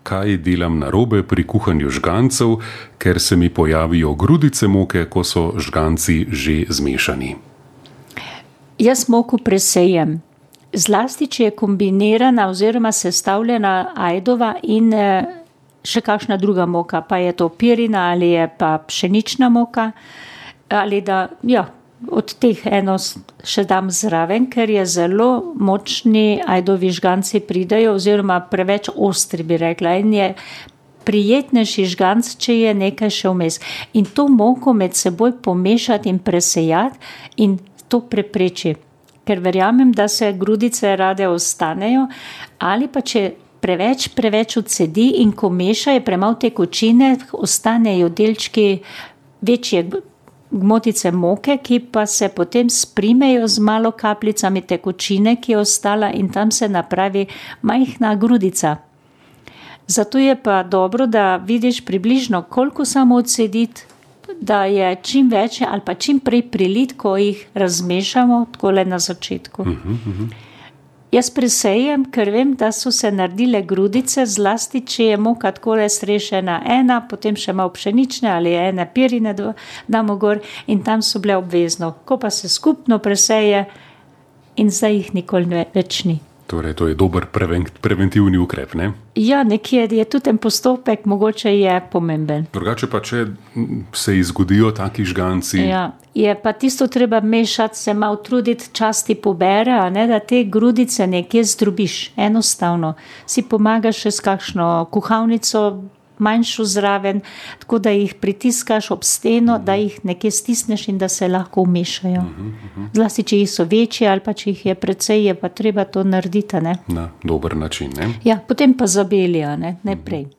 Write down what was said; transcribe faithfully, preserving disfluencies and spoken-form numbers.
kaj delam narobe pri kuhanju žgancev, ker se mi pojavijo grudice moke, ko so žganci že zmešani. Jaz moko presejem. Zlasti, če je kombinirana oziroma sestavljena ajdova in še kakšna druga moka, pa je to pirina ali je pa pšenična moka, ali da, ja, od teh eno še dam zraven, ker je zelo močni ajdovi žganci pridajo, oziroma preveč ostri, bi rekla, in je prijetnejši žganc, če je nekaj še vmes. In to moko med seboj pomešati in presejati in to prepreči. Ker verjamem, da se grudice rade ostanejo, ali pa če preveč, preveč odsedi in ko meša je premalo tekočine, ostanejo delčki večje gmotice moke, ki pa se potem sprimejo z malo kapljicami tekočine, ki je ostala in tam se napravi majhna grudica. Zato je pa dobro, da vidiš približno, koliko samo odsediti, da je čim več ali pa čim prej prilit, ko jih razmešamo, takole na začetku. Uh-huh, uh-huh. Jaz presejem, ker vem, da so se naredile grudice, zlasti, če je moka takole strešena ena, potem še malo pšenične ali ene pirine damo gor in tam so bile obvezno. Ko pa se skupno preseje in zdaj jih nikoli več ni. Torej, to je dober preventivni ukrep, ne? Ja, nekje je tudi ten postopek, mogoče je pomemben. Drugače pa, če se izgodijo taki žganci... Ja, je pa tisto treba mešati, se malo truditi, časti pobere, a ne, da te grudice nekje zdrobiš, enostavno. Si pomagaš še s kakšno kuhalnico, manjšo zraven, tako da jih pritiskaš ob steno, da jih nekje stisneš in da se lahko umešajo. Uh-huh, uh-huh. Zlasti, če jih so večje ali pa če jih je precej, je pa treba to narediti, ne? Na dober način, ne? Ja, potem pa zabelijo, ne, ne prej.